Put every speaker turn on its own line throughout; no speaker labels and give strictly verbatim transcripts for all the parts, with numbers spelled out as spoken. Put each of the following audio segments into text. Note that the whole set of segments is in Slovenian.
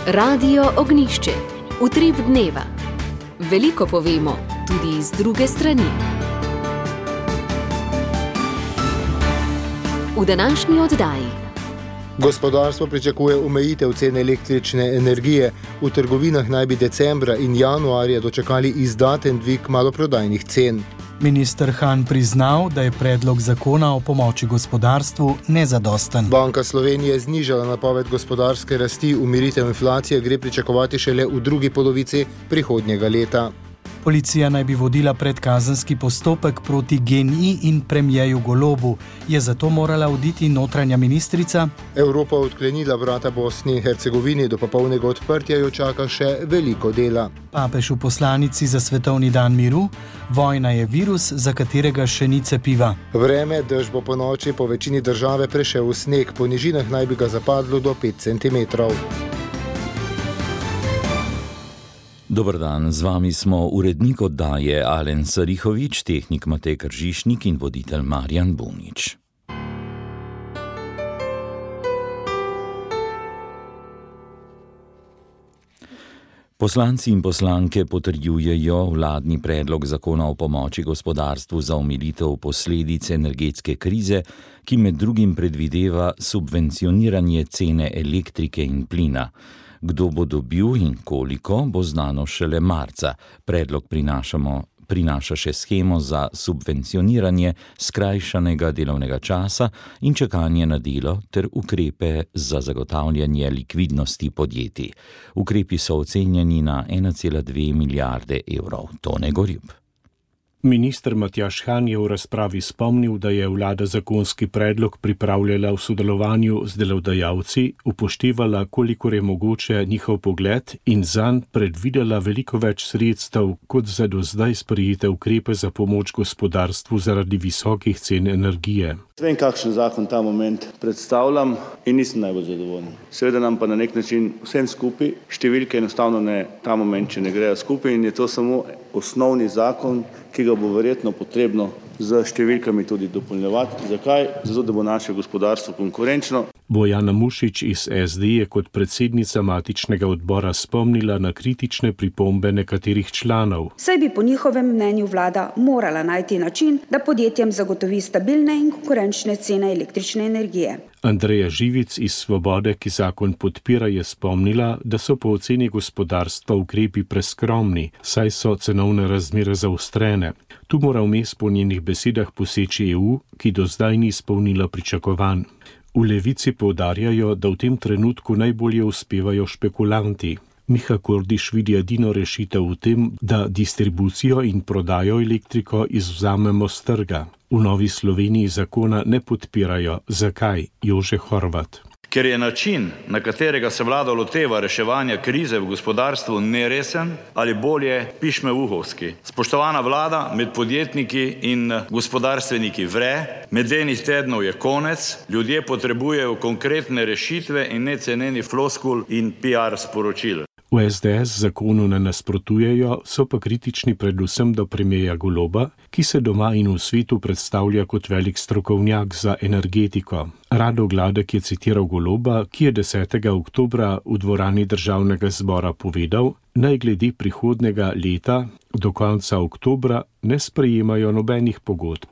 Radio Ognjišče. Utrip dneva. Veliko povemo, tudi iz druge strani. V današnji oddaji.
Gospodarstvo pričakuje omejitev cen električne energije. V trgovinah naj bi decembra in januarja dočakali izdaten dvig maloprodajnih cen.
Minister Han priznal, da je predlog zakona o pomoči gospodarstvu nezadosten.
Banka Slovenije je znižala napoved gospodarske rasti, umiritev inflacije gre pričakovati šele v drugi polovici prihodnjega leta.
Policija naj bi vodila predkazenski postopek proti GEN-I in premierju Golobu. Je zato morala oditi notranja ministrica?
Evropa odklenila vrata Bosni in Hercegovini, do popolnega odprtja jo čaka še veliko dela.
Papež v poslanici za svetovni dan miru: vojna je virus, za katerega še ni cepiva.
Vreme, dež bo po noči po večini države prešel v sneg, po nižinah naj bi ga zapadlo do pet centimetrov.
Dober dan, z vami smo urednik oddaje Alen Sarihovič, tehnik Matej Kržišnik in voditelj Marjan Bunič. Poslanci in poslanke potrjujejo vladni predlog zakona o pomoči gospodarstvu za omilitev posledic energetske krize, ki med drugim predvideva subvencioniranje cene elektrike in plina. Kdo bo dobil in koliko, bo znano šele marca. Predlog prinašamo, prinaša še shemo za subvencioniranje skrajšanega delovnega časa in čakanje na delo ter ukrepe za zagotavljanje likvidnosti podjetij. Ukrepi so ocenjeni na ena cela dve milijarde evrov. Tone Gorjup.
Minister Matjaž Han je v razpravi spomnil, da je vlada zakonski predlog pripravljala v sodelovanju z delodajalci, upoštevala, kolikor je mogoče njihov pogled in zanj predvidela veliko več sredstev kot za do zdaj sprejete ukrepe za pomoč gospodarstvu zaradi visokih cen energije.
Vem, kakšen zakon ta moment predstavljam in nisem najbolj zadovoljen. Seveda nam pa na nek način vsem skupaj številke enostavno ne, ta moment, če ne grejo skupaj in je to samo osnovni zakon, ki ga bo verjetno potrebno z številkami tudi dopolnjevati. Zakaj? Zato, da bo naše gospodarstvo konkurenčno.
Bojana Mušič iz es de je kot predsednica matičnega odbora spomnila na kritične pripombe nekaterih članov.
Saj bi po njihovem mnenju vlada morala najti način, da podjetjem zagotovi stabilne in konkurenčne cene električne energije.
Andreja Živic iz Svobode, ki zakon podpira, je spomnila, da so po oceni gospodarstva ukrepi preskromni, saj so cenovne razmere zaostrene. Tu mora vmes po njenih besedah poseči e u, ki do zdaj ni izpolnila pričakovanj. V Levici poudarjajo, da v tem trenutku najbolje uspevajo špekulanti. Miha Kordiš vidi edino rešitev v tem, da distribucijo in prodajo elektriko izvzamemo s trga. V Novi Sloveniji zakona ne podpirajo. Zakaj? Jože Horvat.
Ker je način, na katerega se vlada loteva reševanja krize v gospodarstvu, neresen ali bolje pišmeuhovski. Spoštovana vlada, med podjetniki in gospodarstveniki vre, medenih tednov je konec, ljudje potrebujejo konkretne rešitve in ne ceneni floskul in pi ar sporočil.
V es de es zakonu ne nasprotujejo, so pa kritični predvsem do premierja Goloba, ki se doma in v svetu predstavlja kot velik strokovnjak za energetiko. Rado Gladek je citiral Goloba, ki je desetega oktobra v dvorani Državnega zbora povedal, naj glede prihodnjega leta do konca oktobra ne sprejemajo nobenih pogodb.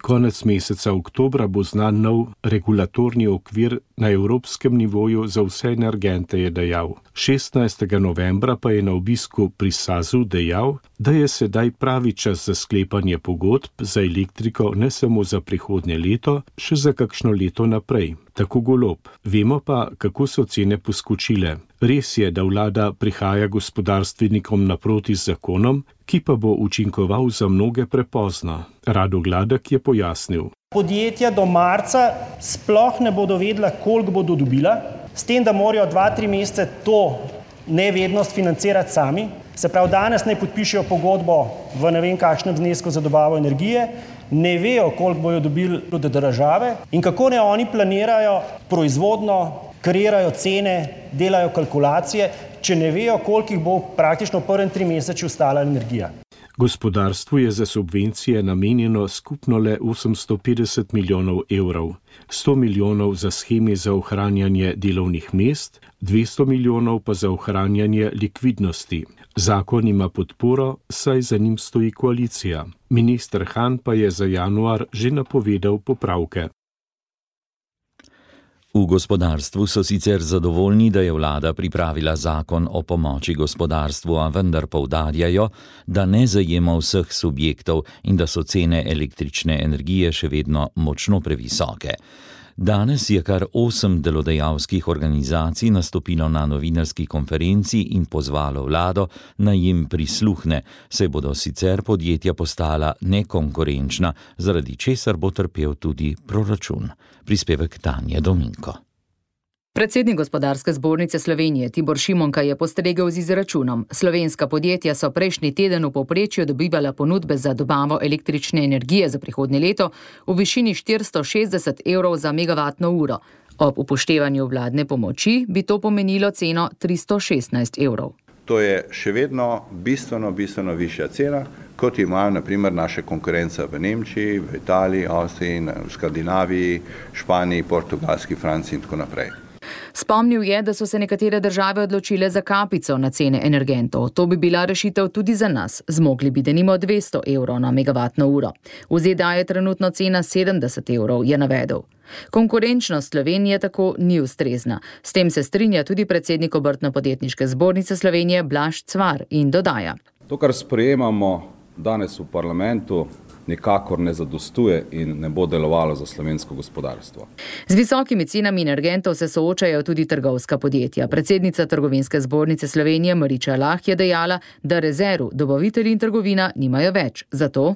Konec meseca oktobra bo znan nov regulatorni okvir na evropskem nivoju za vse energente, je dejal. šestnajstega novembra pa je na obisku pri Sazu dejal, da je sedaj pravi čas za sklepanje pogodb za elektriko ne samo za prihodnje leto, še za kakšno leto naprej. Tako Golob. Vemo pa, kako so cene poskočile. Res je, da vlada prihaja gospodarstvenikom naproti z zakonom, ki pa bo učinkoval za mnoge prepozno. Rado Gladek je pojasnil.
Podjetja do marca sploh ne bodo vedela, koliko bodo dobila, s tem, da morajo dva, tri mesece to nevednost financirati sami. Se pravi, danes naj podpišejo pogodbo v ne vem kakšnem znesku za dobavo energije, ne vejo, koliko bojo dobili od države in kako ne oni planirajo proizvodno, kreirajo cene, delajo kalkulacije, če ne vejo, koliko jih bo praktično v prvem tri meseču ostala energija.
Gospodarstvu je za subvencije namenjeno skupno le osemsto petdeset milijonov evrov, sto milijonov za sheme za ohranjanje delovnih mest, dvesto milijonov pa za ohranjanje likvidnosti. Zakon ima podporo, saj za njim stoji koalicija. Minister Han pa je za januar že napovedal popravke.
V gospodarstvu so sicer zadovoljni, da je vlada pripravila zakon o pomoči gospodarstvu, a vendar poudarjajo, da ne zajema vseh subjektov in da so cene električne energije še vedno močno previsoke. Danes je kar osem delodajalskih organizacij nastopilo na novinarski konferenci in pozvalo vlado, naj jim prisluhne, saj bodo sicer podjetja postala nekonkurenčna, zaradi česar bo trpel tudi proračun. Prispevek Tanje Dominko.
Predsednik Gospodarske zbornice Slovenije Tibor Šimonka je postregel z izračunom. Slovenska podjetja so prejšnji teden v povprečju dobivala ponudbe za dobavo električne energije za prihodnje leto v višini štiristo šestdeset evrov za megavatno uro. Ob upoštevanju vladne pomoči bi to pomenilo ceno tristo šestnajst evrov.
To je še vedno bistveno, bistveno višja cena, kot imajo na primer naše konkurence v Nemčiji, v Italiji, Avstriji, v Skandinaviji, Španiji, Portugalski, Franciji in tako naprej.
Spomnil je, da so se nekatere države odločile za kapico na cene energentov. To bi bila rešitev tudi za nas. Zmogli bi denimo dvesto evrov na megavatno uro. V Z D A je trenutno cena sedemdeset evrov, je navedel. Konkurenčnost Slovenije tako ni ustrezna. S tem se strinja tudi predsednik Obrtno-podjetniške zbornice Slovenije Blaž Cvar in dodaja.
To, kar sprejemamo danes v parlamentu, nikakor ne zadostuje in ne bo delovalo za slovensko gospodarstvo.
Z visokimi cenami energentov se soočajo tudi trgovska podjetja. Predsednica Trgovinske zbornice Slovenije Mariča Lah je dejala, da rezerv dobavitelji in trgovina nimajo več. Zato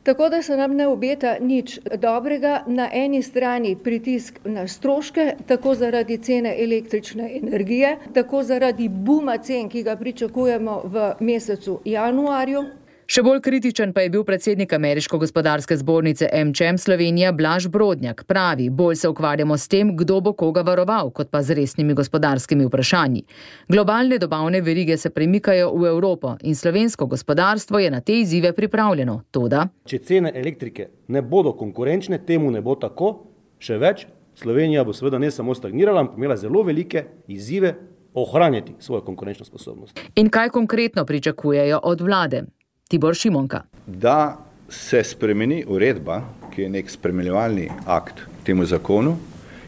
Tako da se nam ne obeta nič dobrega, na eni strani pritisk na stroške, tako zaradi cene električne energije, tako zaradi buma cen, ki ga pričakujemo v mesecu januarju.
Še bolj kritičen pa je bil predsednik Ameriške gospodarske zbornice AmCham Slovenija Blaž Brodnjak. Pravi, bolj se ukvarjamo s tem, kdo bo koga varoval, kot pa z resnimi gospodarskimi vprašanji. Globalne dobavne verige se premikajo v Evropo in slovensko gospodarstvo je na te izzive pripravljeno. Toda,
če cene elektrike ne bodo konkurenčne, temu ne bo tako, še več, Slovenija bo seveda ne samo stagnirala, ampak imela zelo velike izzive ohranjati svojo konkurenčno sposobnost.
In kaj konkretno pričakujejo od vlade? Tibor Šimonka.
Da se spremeni uredba, ki je nek spremljevalni akt temu zakonu,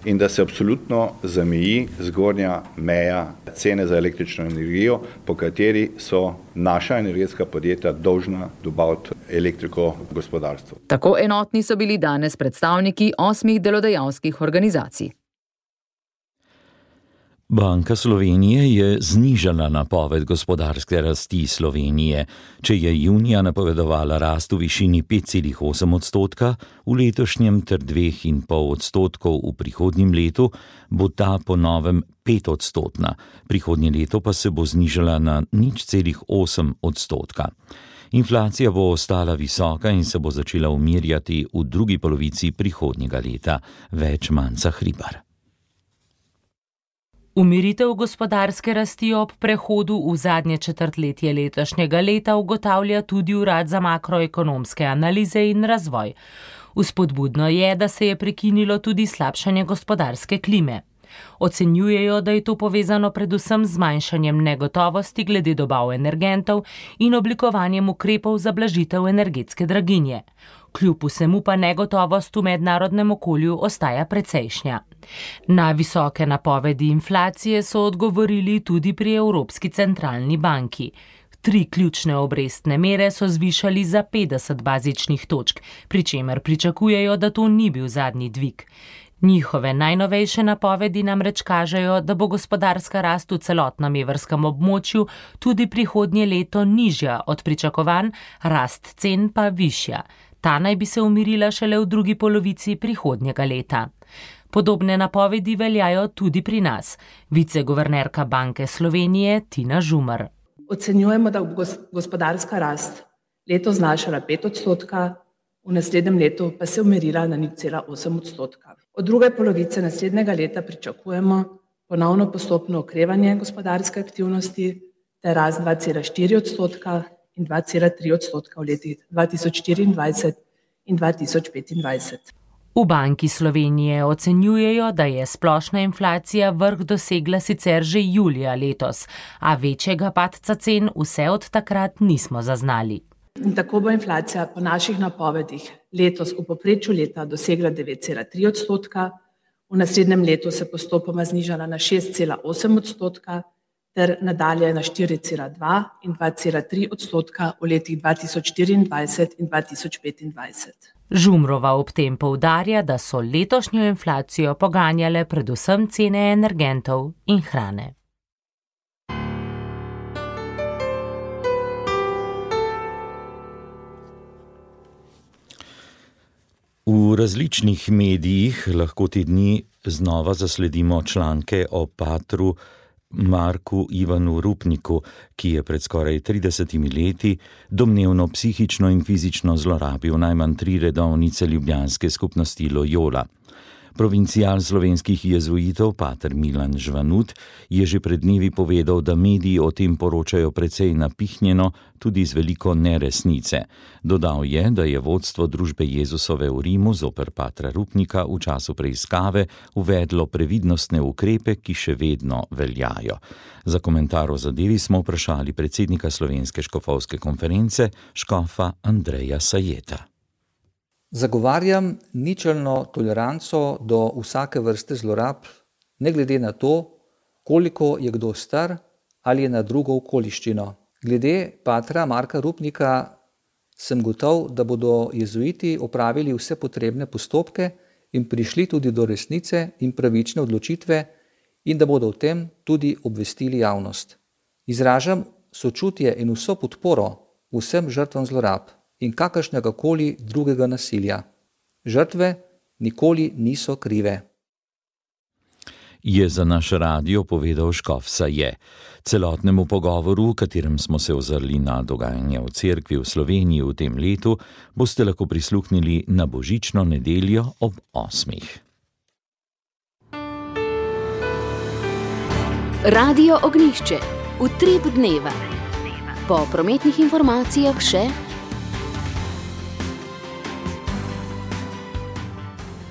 in da se absolutno zameji zgornja meja cene za električno energijo, po kateri so naša energetska podjetja dolžna dobaviti elektriko gospodarstvu.
Tako enotni so bili danes predstavniki osmih delodajalskih organizacij.
Banka Slovenije je znižala napoved gospodarske rasti Slovenije. Če je junija napovedovala rast v višini pet celih osem odstotka, v letošnjem ter dve in pol odstotkov v prihodnjem letu, bo ta po novem pet odstotna. Prihodnje leto pa se bo znižala na nič celih osem odstotka. Inflacija bo ostala visoka in se bo začela umirjati v drugi polovici prihodnjega leta. Več Manca Hribar.
Umiritev gospodarske rasti ob prehodu v zadnje četrtletje letošnjega leta ugotavlja tudi Urad za makroekonomske analize in razvoj. Vzpodbudno je, da se je prekinilo tudi slabšanje gospodarske klime. Ocenjujejo, da je to povezano predvsem z zmanjšanjem negotovosti glede dobav energentov in oblikovanjem ukrepov za blažitev energetske draginje. Kljub vsemu pa negotovost v mednarodnem okolju ostaja precejšnja. Na visoke napovedi inflacije so odgovorili tudi pri Evropski centralni banki. Tri ključne obrestne mere so zvišali za petdeset bazičnih točk, pri čemer pričakujejo, da to ni bil zadnji dvig. Njihove najnovejše napovedi namreč kažejo, da bo gospodarska rast v celotnem evrskem območju tudi prihodnje leto nižja od pričakovanj, rast cen pa višja. Ta naj bi se umirila šele v drugi polovici prihodnjega leta. Podobne napovedi veljajo tudi pri nas. Viceguvernerka Banke Slovenije Tina Žumar.
Ocenjujemo, da bo gospodarska rast leto znašala pet odstotka, v naslednjem letu pa se umirila na nič celih osem odstotka. Od druge polovice naslednjega leta pričakujemo ponovno postopno okrevanje gospodarske aktivnosti ter rast dva celih štiri odstotka in dva cela tri odstotka v letih dva tisoč štiriindvajset in dva tisoč petindvajset.
V Banki Slovenije ocenjujejo, da je splošna inflacija vrh dosegla sicer že julija letos, a večjega padca cen vse od takrat nismo zaznali.
In tako bo inflacija po naših napovedih letos v povprečju leta dosegla devet cela tri odstotka, v naslednjem letu se postopoma znižala na šest cela osem odstotka ter nadalje na štiri cela dva in dva cela tri odstotka v letih dva tisoč štiriindvajset in dva tisoč petindvajset.
Žumrova ob tem poudarja, da so letošnjo inflacijo poganjale predvsem cene energentov in hrane.
V različnih medijih lahko te dni znova zasledimo članke o patru Marku Ivanu Rupniku, ki je pred skoraj tridesetimi leti domnevno psihično in fizično zlorabil najmanj tri redovnice ljubljanske skupnosti Loyola. Provincial slovenskih jezuitov pater Milan Žvanut je že pred dnevi povedal, da mediji o tem poročajo precej napihnjeno, tudi z veliko neresnice. Dodal je, da je vodstvo družbe Jezusove v Rimu zoper patra Rupnika v času preiskave uvedlo previdnostne ukrepe, ki še vedno veljajo. Za komentar o zadevi smo vprašali predsednika Slovenske škofovske konference, škofa Andreja Sajeta.
Zagovarjam ničelno toleranco do vsake vrste zlorab, ne glede na to, koliko je kdo star ali je na drugo okoliščino. Glede patra Marka Rupnika sem gotov, da bodo jezuiti opravili vse potrebne postopke in prišli tudi do resnice in pravične odločitve in da bodo o tem tudi obvestili javnost. Izražam sočutje in vso podporo vsem žrtvam zlorab in kakršnega koli drugega nasilja. Žrtve nikoli niso krive.
Je za naš radio povedal škof Saje. Celotnemu pogovoru, v katerem smo se ozrli na dogajanje v cerkvi v Sloveniji v tem letu, boste lahko prisluhnili na božično nedeljo ob osmih.
Radio Ognjišče. Utrip dneva. Po prometnih informacijah še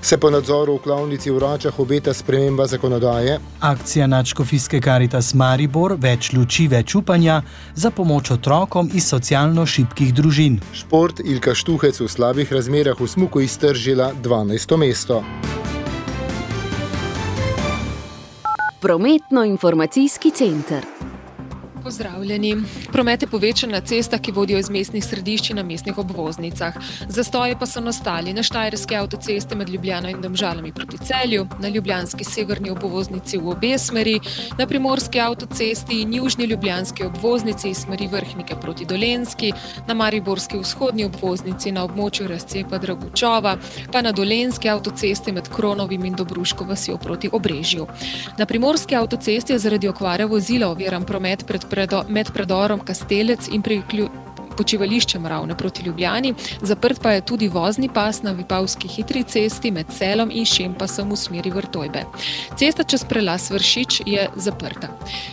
Se po nadzoru v klavnici v Račah obeta sprememba zakonodaje.
Akcija Nadškofijske Karitas Maribor, več luči, več upanja za pomoč otrokom iz socialno šibkih družin.
Šport, Ilka Štuhec v slabih razmerah v smuku iztržila dvanajsto mesto.
Prometno-informacijski center.
Pozdravljeni. Promet je povečan na cestah, ki vodijo iz mestnih središč in na mestnih obvoznicah. Zastoji pa so nastali na štajerski avtocesti med Ljubljano in Domžalami proti Celju, na ljubljanski severni obvoznici v obe smeri, na primorski avtocesti in južni ljubljanski obvoznici iz smeri Vrhnike proti Dolenjski, na mariborski vzhodni obvoznici na območju razcepa Dragučova, pa na dolenjski avtocesti med Kronovim in Dobruško vasjo proti Obrežju. Na primorski avtocesti je zaradi okvare vozila oviran promet pred med predorom Kastelec in priklju počivališčem Ravne proti Ljubljani. Zaprt pa je tudi vozni pas na Vipavski hitri cesti med Celom in Šempasom v smeri Vrtojbe. Cesta čez prelaz Vršič je zaprta.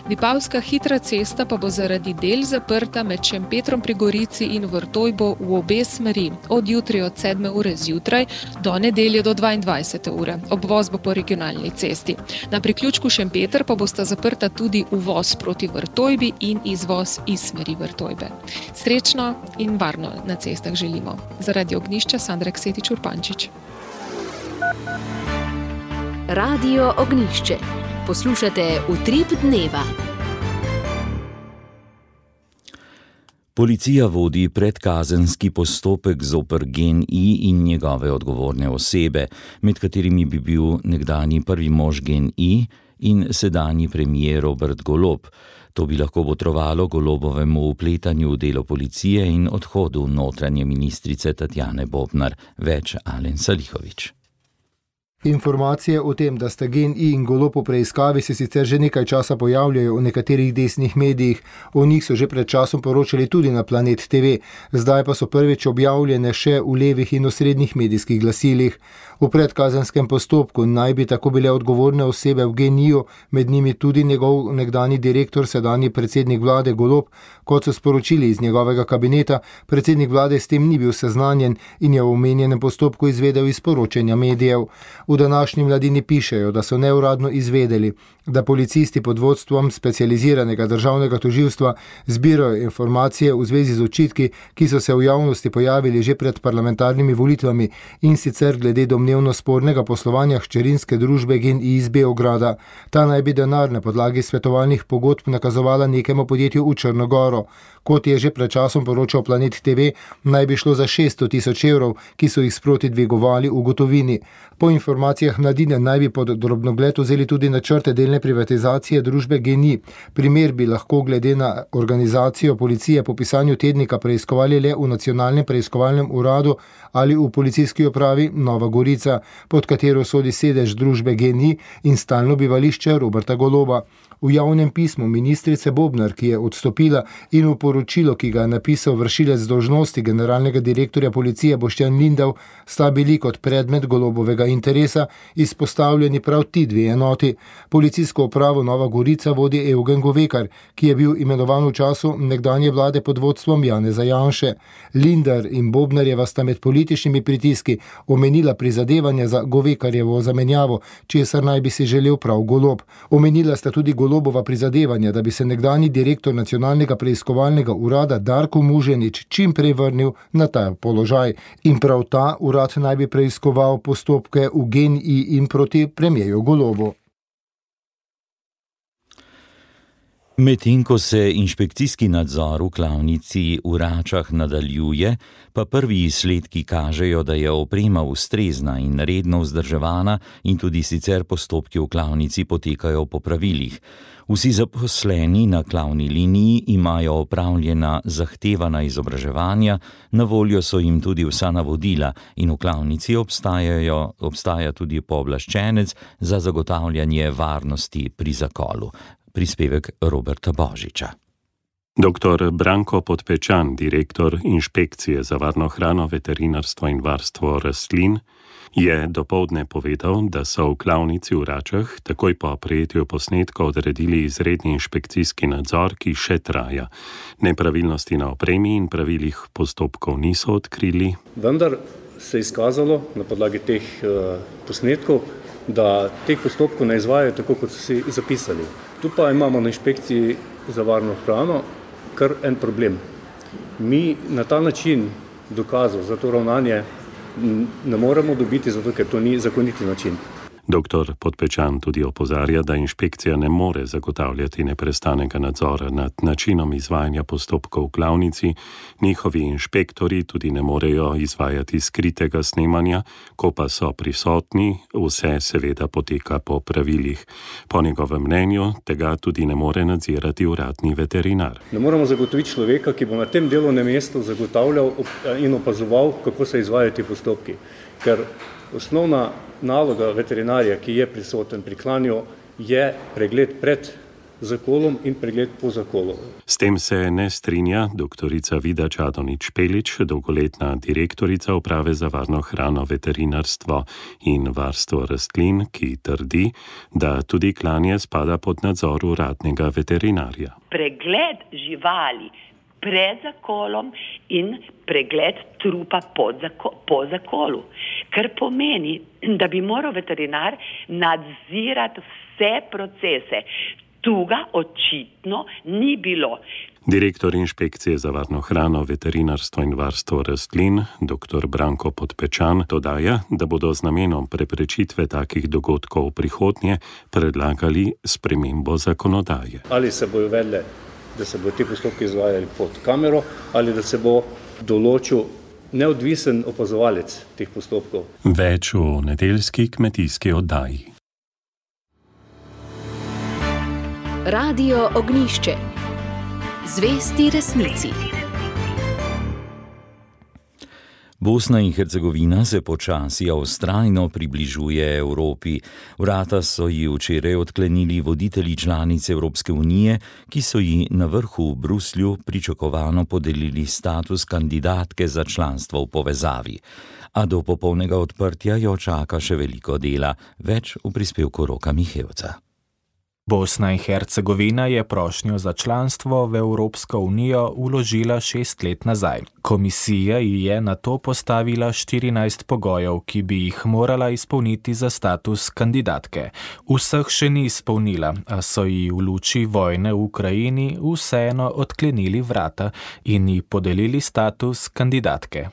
Vipavska hitra cesta pa bo zaradi del zaprta med Šempetrom pri Gorici in Vrtojbo v obe smeri od jutri od sedme ure zjutraj do nedelje do dvaindvajsete ure. Obvoz bo po regionalni cesti. Na priključku Šempeter pa bosta zaprta tudi uvoz proti Vrtojbi in izvoz iz smeri Vrtojbe. Srečno in varno na cestah želimo. Zaradi Ognjišča Sandra Ksetič Urpančič.
Radio Ognjišče. Poslušate Utrip dneva.
Policija vodi predkazenski postopek zoper GEN-I in njegove odgovorne osebe, med katerimi bi bil nekdanji prvi mož GEN-I in sedanji premier Robert Golob. To bi lahko botrovalo Golobovemu vpletanju v delo policije in odhodu notranje ministrice Tatjane Bobnar. Več Alen Salihović.
Informacije o tem, da sta GEN-I in Golob v preiskavi, se sicer že nekaj časa pojavljajo v nekaterih desnih medijih. O njih so že pred časom poročali tudi na Planet T V, zdaj pa so prvič objavljene še v levih in osrednjih medijskih glasilih. V predkazenskem postopku naj bi tako bile odgovorne osebe v GEN-I-ju, med njimi tudi njegov nekdani direktor, sedanji predsednik vlade Golob. Kot so sporočili iz njegovega kabineta, predsednik vlade s tem ni bil seznanjen in je v omenjenem postopku izvedel iz poročanja medijev. V današnji Mladini pišejo, da so neuradno izvedeli, da policisti pod vodstvom specializiranega državnega tožilstva zbirajo informacije v zvezi z očitki, ki so se v javnosti pojavili že pred parlamentarnimi volitvami, in sicer glede domnevno spornega poslovanja hčerinske družbe GEN-I iz Beograda. Ta naj bi denar na podlagi svetovalnih pogodb nakazovala nekemu podjetju v Črnogoro. Kot je že pred časom poročal Planet T V, naj bi šlo za šeststo tisoč evrov, ki so jih sproti dvigovali v gotovini. Po informacijah Mladine naj bi pod drobnogled vzeli tudi načrte delne privatizacije družbe GEN-I. Primer bi lahko glede na organizacijo policije po pisanju tednika preiskovali le v Nacionalnem preiskovalnem uradu ali v policijski upravi Nova Gorica, pod katero sodi sedež družbe GEN-I in stalno bivališče Roberta Goloba. V javnem pismu ministrice Bobnar, ki je odstopila, in v poročilo, ki ga je napisal vršilec dolžnosti generalnega direktorja policije Boštjan Lindav, sta bili kot predmet Golobovega interesa izpostavljeni prav ti dve enoti. Policijsko upravo Nova Gorica vodi Eugen Govekar, ki je bil imenovan v času nekdanje vlade pod vodstvom Janeza Janše. Lindar in Bobnarjeva sta med političnimi pritiski omenila prizadevanja za Govekarjevo zamenjavo, česar naj bi si želel prav Golob. Omenila sta tudi Golobova prizadevanja, da bi se nekdani direktor nacionalnega preiskovalnega urada Darko Muženič čim prej vrnil na ta položaj. In prav ta urad naj bi preiskoval postopke v GEN-I in proti premierju Golobu.
Medtem ko se inšpekcijski nadzor v klavnici v Račah nadaljuje, pa prvi izsledki kažejo, da je oprema ustrezna in redno vzdrževana in tudi sicer postopki v klavnici potekajo po pravilih. Vsi zaposleni na klavni liniji imajo opravljena zahtevana izobraževanja, na voljo so jim tudi vsa navodila in v klavnici obstajajo, obstaja tudi pooblaščenec za zagotavljanje varnosti pri zakolu. Prispevek Roberta Božiča.
Doktor Branko Podpečan, direktor Inšpekcije za varno hrano, veterinarstvo in varstvo rastlin, je dopoldne povedal, da so v klavnici v Račah takoj po prejetju posnetka odredili izredni inšpekcijski nadzor, ki še traja. Nepravilnosti na opremi in pravilih postopkov niso odkrili.
Vendar se je izkazalo na podlagi teh uh, posnetkov, da teh postopkov ne izvajajo tako, kot so si zapisali. Tu pa imamo na inšpekciji za varno hrano kar en problem. Mi na ta način dokazov za to ravnanje ne moremo dobiti, zato ker to ni zakoniti način.
Doktor Podpečan tudi opozarja, da inšpekcija ne more zagotavljati neprestanega nadzora nad načinom izvajanja postopkov v klavnici, njihovi inšpektori tudi ne morejo izvajati skritega snemanja, ko pa so prisotni, vse seveda poteka po pravilih. Po njegovem mnenju tega tudi ne more nadzirati uradni veterinar.
Ne moremo zagotoviti človeka, ki bo na tem delovnem mestu zagotavljal in opazoval, kako se izvajajo ti postopki, ker osnovna naloga veterinarja, ki je prisoten pri klanju, je pregled pred zakolom in pregled po zakolu.
S tem se ne strinja doktorica Vida Čadonič-Pelič, dolgoletna direktorica Uprave za varno hrano, veterinarstvo in varstvo rastlin, ki trdi, da tudi klanje spada pod nadzor uradnega veterinarja.
Pregled živali pred zakolom in pregled trupa pod zako, po zakolu, kar pomeni, da bi moral veterinar nadzirati vse procese. Tu ga očitno ni bilo.
Direktor Inšpekcije za varno hrano, veterinarstvo in varstvo rastlin, doktor Branko Podpečan, dodaja, da bodo z namenom preprečitve takih dogodkov v prihodnje predlagali spremembo zakonodaje.
Ali se bojo vedle, da se bodo ti postopki izvajali pod kamero, ali da se bo določil neodvisen opazovalec teh postopkov.
Več v nedeljski kmetijski oddaji.
Radio Ognjišče. Zvesti resnici.
Bosna in Hercegovina se počasi a vztrajno približuje Evropi. Vrata so ji včeraj odklenili voditelji članic Evropske unije, ki so ji na vrhu v Bruslju pričakovano podelili status kandidatke za članstvo v povezavi. A do popolnega odprtja jo čaka še veliko dela, več v prispevku Roka Mihevca.
Bosna in Hercegovina je prošnjo za članstvo v Evropsko unijo vložila šest let nazaj. Komisija ji je na to postavila štirinajst pogojev, ki bi jih morala izpolniti za status kandidatke. Vseh še ni izpolnila, a so ji v luči vojne v Ukrajini vseeno odklenili vrata in ji podelili status kandidatke.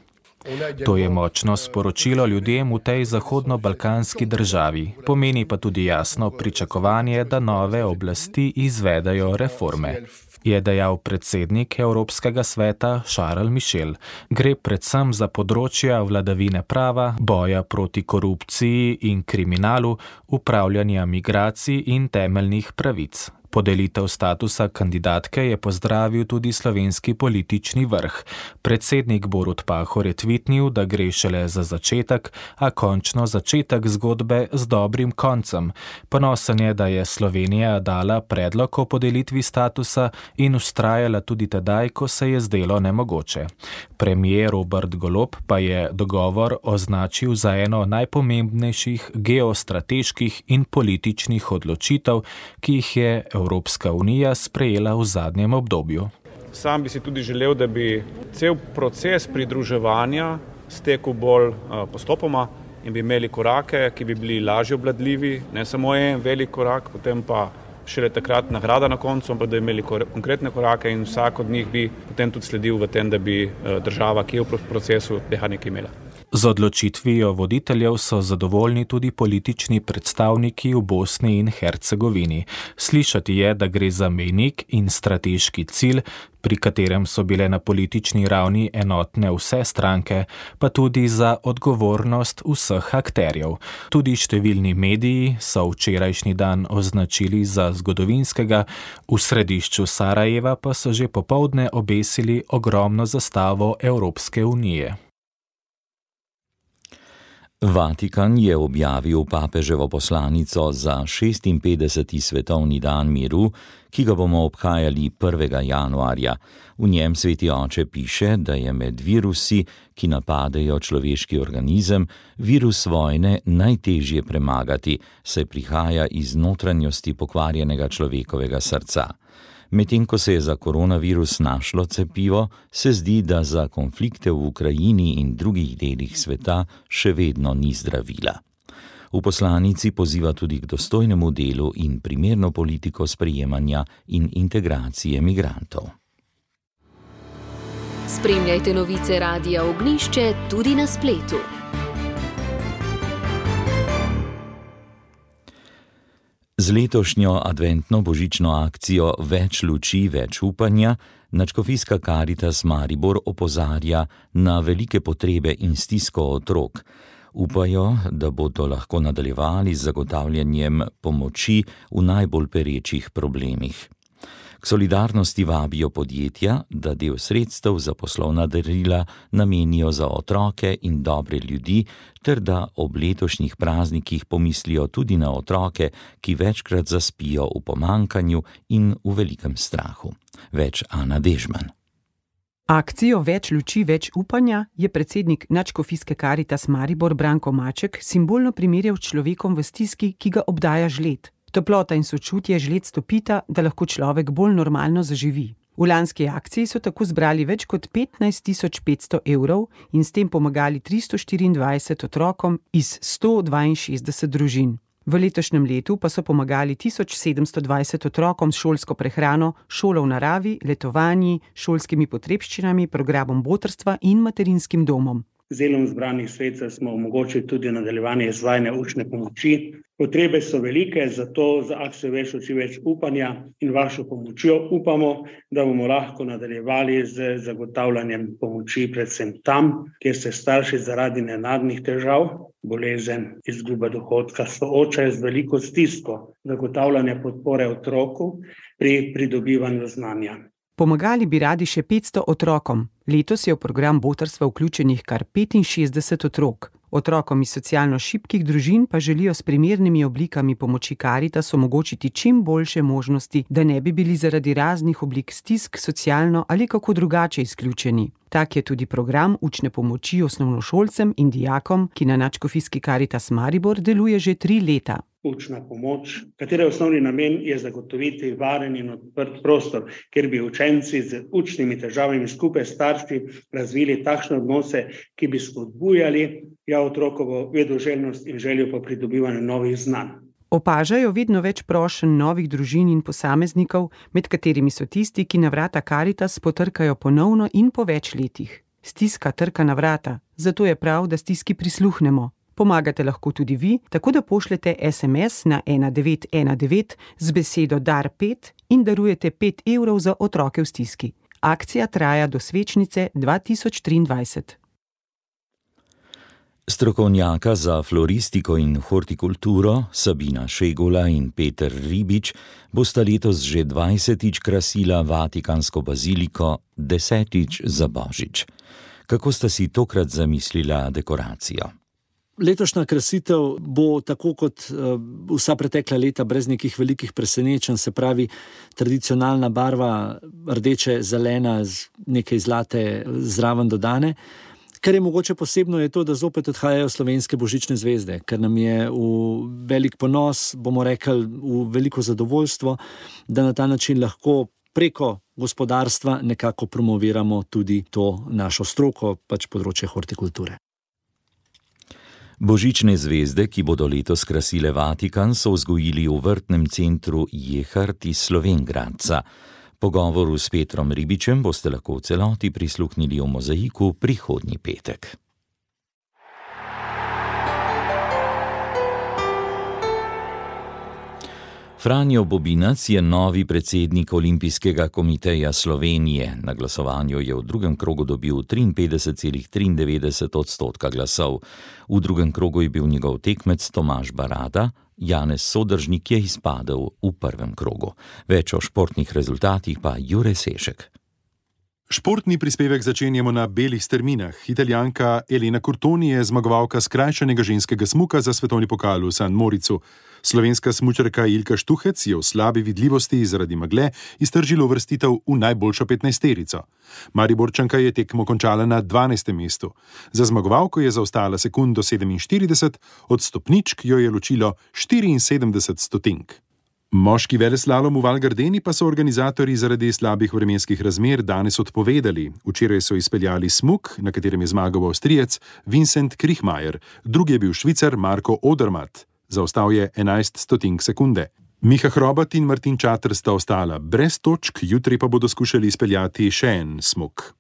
To je močno sporočilo ljudem v tej zahodno-balkanski državi. Pomeni pa tudi jasno pričakovanje, da nove oblasti izvedajo reforme, je dejal predsednik Evropskega sveta Charles Michel. Gre predvsem za področja vladavine prava, boja proti korupciji in kriminalu, upravljanja migracij in temeljnih pravic. Podelitev statusa kandidatke je pozdravil tudi slovenski politični vrh. Predsednik Borut Pahor je tvitnil, da gre šele za začetek, a končno začetek zgodbe z dobrim koncem. Ponosen je, da je Slovenija dala predlog o podelitvi statusa in vztrajala tudi tedaj, ko se je zdelo nemogoče. Premier Robert Golob pa je dogovor označil za eno najpomembnejših geostrateških in političnih odločitev, ki jih je Evropska unija sprejela v zadnjem obdobju.
Sam bi si tudi želel, da bi cel proces pridruževanja stekel bolj postopoma in bi imeli korake, ki bi bili lažje obvladljivi, ne samo en velik korak, potem pa šele takrat nagrada na koncu, ampak da bi imeli konkretne korake in vsak od njih bi potem tudi sledil v tem, da bi država, ki je v procesu, tega nekaj imela.
Z odločitvijo voditeljev so zadovoljni tudi politični predstavniki v Bosni in Hercegovini. Slišati je, da gre za mejnik in strateški cilj, pri katerem so bile na politični ravni enotne vse stranke, pa tudi za odgovornost vseh akterjev. Tudi številni mediji so včerajšnji dan označili za zgodovinskega, v središču Sarajeva pa so že popoldne obesili ogromno zastavo Evropske unije.
Vatikan je objavil papeževo poslanico za šestinpetdeseti svetovni dan miru, ki ga bomo obhajali prvega januarja. V njem sveti oče piše, da je med virusi, ki napadejo človeški organizem, virus vojne najtežje premagati, saj prihaja iz notranjosti pokvarjenega človekovega srca. Medtem ko se je za koronavirus našlo cepivo, se zdi, da za konflikte v Ukrajini in drugih delih sveta še vedno ni zdravila. V poslanici poziva tudi k dostojnemu delu in primerno politiko sprejemanja in integracije migrantov.
Spremljajte novice Radia Ognjišče tudi na spletu.
Z letošnjo adventno božično akcijo Več luči, več upanja Nadškofijska Karitas Maribor opozarja na velike potrebe in stisko otrok. Upajo, da bodo lahko nadaljevali z zagotavljanjem pomoči v najbolj perečih problemih. K solidarnosti vabijo podjetja, da del sredstev za poslovna darila namenijo za otroke in dobre ljudi, ter da ob letošnjih praznikih pomislijo tudi na otroke, ki večkrat zaspijo v pomankanju in v velikem strahu. Več Ana Dežman.
Akcijo Več luči, več upanja je predsednik Nadškofijske Karitas Maribor Branko Maček simbolno primerjal s človekom v stiski, ki ga obdaja žled. Toplota in sočutje žled stopita, da lahko človek bolj normalno zaživi. V lanski akciji so tako zbrali več kot petnajst tisoč petsto evrov in s tem pomagali tristo štiriindvajset otrokom iz sto dvainšestdeset družin. V letošnjem letu pa so pomagali tisoč sedemsto dvajset otrokom s šolsko prehrano, šolo v naravi, letovanji, šolskimi potrebščinami, programom botrstva in materinskim domom.
Z delom zbranih sredstev smo omogočili tudi nadaljevanje izvajanja učne pomoči. Potrebe so velike, zato za akcijo Več luči, več upanja in vašo pomočjo upamo, da bomo lahko nadaljevali z zagotavljanjem pomoči predvsem tam, kjer se starši zaradi nenadnih težav, bolezen, izguba dohodka soočajo z veliko stisko, zagotavljanje podpore otroku pri pridobivanju znanja.
Pomagali bi radi še petsto otrokom. Letos je v program botrstva vključenih kar petinšestdeset otrok. Otrokom iz socialno šibkih družin pa želijo s primernimi oblikami pomoči Karitas omogočiti čim boljše možnosti, da ne bi bili zaradi raznih oblik stisk socialno ali kako drugače izključeni. Tak je tudi program učne pomoči osnovnošolcem in dijakom, ki na Nadškofijski Karitas Maribor deluje že tri leta.
Učna pomoč, katere osnovni namen je zagotoviti varen in odprt prostor, kjer bi učenci z učnimi težavami skupaj s starši razvili takšne odnose, ki bi spodbujali ja otrokovo vedoželjnost in željo po pridobivanju novih znanj.
Opažajo vedno več prošenj novih družin in posameznikov, med katerimi so tisti, ki na vrata Karitas potrkajo ponovno in po več letih. Stiska trka na vrata, zato je prav, da stiski prisluhnemo. Pomagate lahko tudi vi, tako da pošljete es em es na ena devet ena devet z besedo dar pet in darujete pet evrov za otroke v stiski. Akcija traja do svečnice dva tisoč triindvajset.
Strokovnjaka za floristiko in hortikulturo Sabina Šegula in Peter Ribič bosta letos že dvajsetič krasila Vatikansko baziliko, desetič za Božič. Kako sta si tokrat zamislila dekoracijo?
Letošnja krasitev bo tako kot vsa pretekla leta brez nekih velikih presenečenj, se pravi tradicionalna barva rdeče, zelena, nekaj zlate zraven dodane. Kar je mogoče posebno je to, da zopet odhajajo slovenske božične zvezde, ker nam je v velik ponos, bomo rekli, v veliko zadovoljstvo, da na ta način lahko preko gospodarstva nekako promoviramo tudi to našo stroko, pač področje hortikulture.
Božične zvezde, ki bodo letos krasile Vatikan, so vzgojili v vrtnem centru Jehart iz Slovenj Gradca. Pogovoru s Petrom Ribičem boste lahko v celoti prisluhnili v Mozaiku prihodnji petek. Franjo Bobinac je novi predsednik Olimpijskega komiteja Slovenije. Na glasovanju je v drugem krogu dobil triinpetdeset celih triindevetdeset odstotka glasov. V drugem krogu je bil njegov tekmec Tomaž Barada, Janez Sodržnik je izpadel v prvem krogu. Več o športnih rezultatih pa Jure Sešek.
Športni prispevek začenjamo na belih strminah. Italijanka Elena Curtoni je zmagovalka skrajšanega ženskega smuka za svetovni pokal v San Moricu. Slovenska smučarka Ilka Štuhec je v slabi vidljivosti zaradi megle iztržila uvrstitev v najboljšo petnajsterico. Mariborčanka je tekmo končala na dvanajstem mestu. Za zmagovalko je zaostala sekundo sedeminštirideset, od stopničk jo je ločilo štiriinsedemdeset stotink. Moški veleslalom v Val Gardeni pa so organizatorji zaradi slabih vremenskih razmer danes odpovedali. Včeraj so izpeljali smuk, na katerem je zmagal Avstrijec Vincent Kriechmayer, drugi je bil Švicar Marko Odermatt. Zaostal je enajst stotink sekunde. Miha Hrobat in Martin Čater sta ostala brez točk, jutri pa bodo skušali izpeljati še en smuk.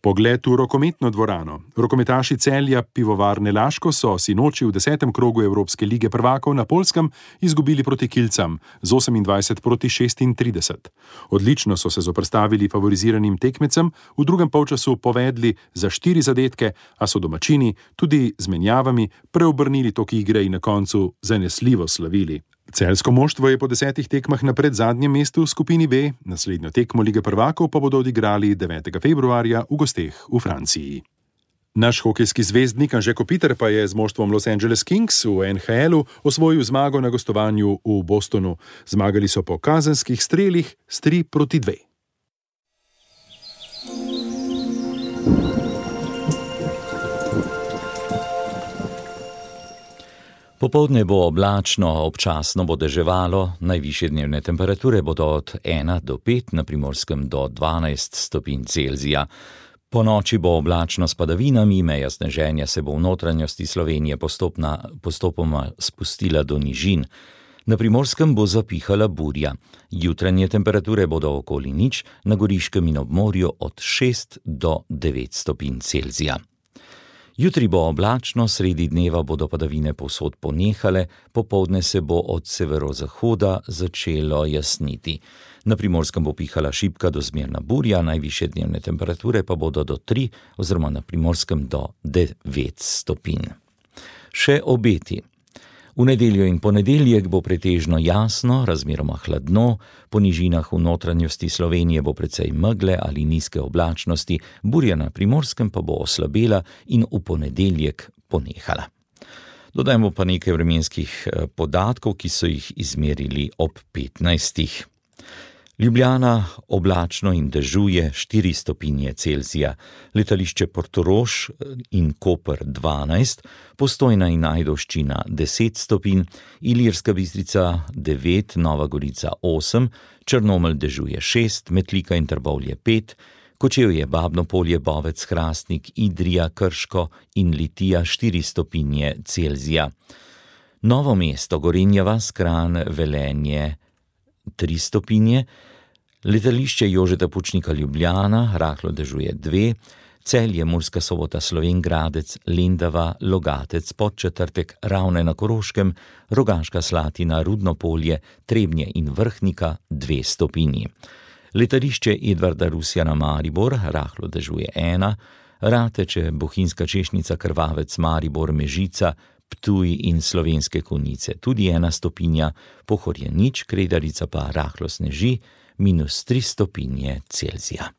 Pogled v rokometno dvorano. Rokometaši Celja Pivovarne Laško so sinoči v desetem krogu Evropske lige prvakov na Poljskem izgubili proti Kilcam z osemindvajset proti šestintrideset. Odlično so se zoperstavili favoriziranim tekmecem, v drugem polčasu povedli za štiri zadetke, a so domačini tudi z menjavami preobrnili tok igre in na koncu zanesljivo slavili. Celjsko moštvo je po desetih tekmah na predzadnjem mestu v skupini B, naslednjo tekmo Lige prvakov pa bodo odigrali devetega februarja v gosteh v Franciji. Naš hokejski zvezdnik Anže Kopitar pa je z moštvom Los Angeles Kings v en ha elu osvojil zmago na gostovanju v Bostonu. Zmagali so po kazenskih strelih s tri proti dve.
Popoldne bo oblačno, občasno bo deževalo, najvišje dnevne temperature bodo od ena do pet, na Primorskem do dvanajst stopinj Celzija. Po noči bo oblačno s padavinami, meja sneženja se bo v notranjosti Slovenije postopna, postopoma spustila do nižin. Na Primorskem bo zapihala burja. Jutranje temperature bodo okoli nič, na Goriškem in ob morju od šest do devet stopinj Celzija. Jutri bo oblačno, sredi dneva bodo padavine povsod ponehale, popoldne se bo od severozahoda začelo jasniti. Na Primorskem bo pihala šibka do zmerna burja, najvišje dnevne temperature pa bodo do tri oziroma na Primorskem do devet stopinj. Še obeti. V nedeljo in ponedeljek bo pretežno jasno, razmeroma hladno, po nižinah v notranjosti Slovenije bo precej megle ali nizke oblačnosti, burja na Primorskem pa bo oslabela in v ponedeljek ponehala. Dodajmo pa nekaj vremenskih podatkov, ki so jih izmerili ob petnajstih. Ljubljana oblačno in dežuje štiri stopinje Celzija, letališče Portorož in Koper dvanajst, Postojna in Ajdovščina deset stopinj, Ilirska Bistrica devet, Nova Gorica osem, Črnomelj dežuje šest, Metlika in Trbovlje pet, Kočevje, Babno Polje, Bovec, Hrastnik, Idrija, Krško in Litija štiri stopinje Celzija. Novo mesto, Gorenja vas, Kranj, Velenje tri stopinje, letališče Jožeta Pučnika Ljubljana, rahlo dežuje dve, Celje, Murska Sobota, Slovenj Gradec, Lendava, Logatec, Podčetrtek, Ravne na Koroškem, Rogaška Slatina, Rudno Polje, Trebnje in Vrhnika dve stopinji. Letališče Edvarda Rusjana Maribor, rahlo dežuje ena, Rateče, Bohinjska Češnica, Krvavec, Maribor, Mežica, Ptuj in Slovenske Konjice tudi ena stopinja, Pohorje nič, Kredarica pa rahlo sneži, minus tri stopinje Celzija.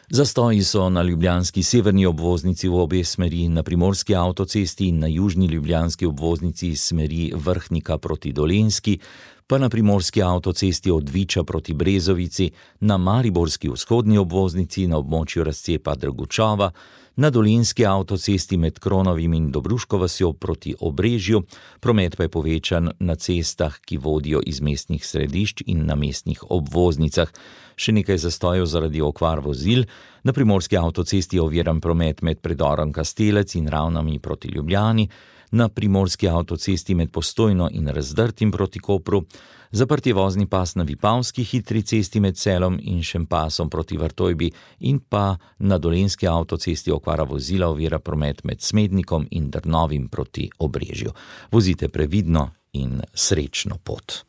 Zastoji so na ljubljanski severni obvoznici v obe smeri, na primorski avtocesti in na južni ljubljanski obvoznici iz smeri Vrhnika proti Dolenjski, pa na primorski avtocesti od Viča proti Brezovici, na mariborski vzhodni obvoznici na območju razcepa Dragučova, na dolenjski avtocesti med Kronovim in Dobruško vasjo proti Obrežju, promet pa je povečan na cestah, ki vodijo iz mestnih središč in na mestnih obvoznicah. Še nekaj zastojev zaradi okvar vozil, na primorski avtocesti je oviran promet med predorom Kastelec in Ravnami proti Ljubljani, na primorski avtocesti med Postojno in Razdrtim proti Kopru, zaprt je vozni pas na Vipavski hitri cesti med Celom in Šempasom proti Vrtojbi in pa na dolenjski avtocesti okvara vozila ovira promet med Smednikom in Drnovim proti Obrežju. Vozite previdno in srečno pot.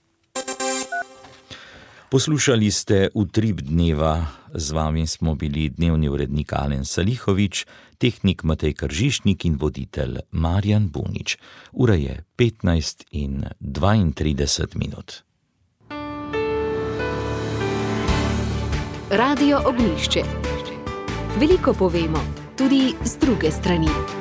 Poslušali ste Utrip dneva, z vami smo bili dnevni urednik Alen Salihovič, tehnik Matej Kržišnik in voditelj Marjan Bunič. Ura je petnajst in dvaintrideset minut.
Radio Ognjišče. Veliko povemo, tudi z druge strani.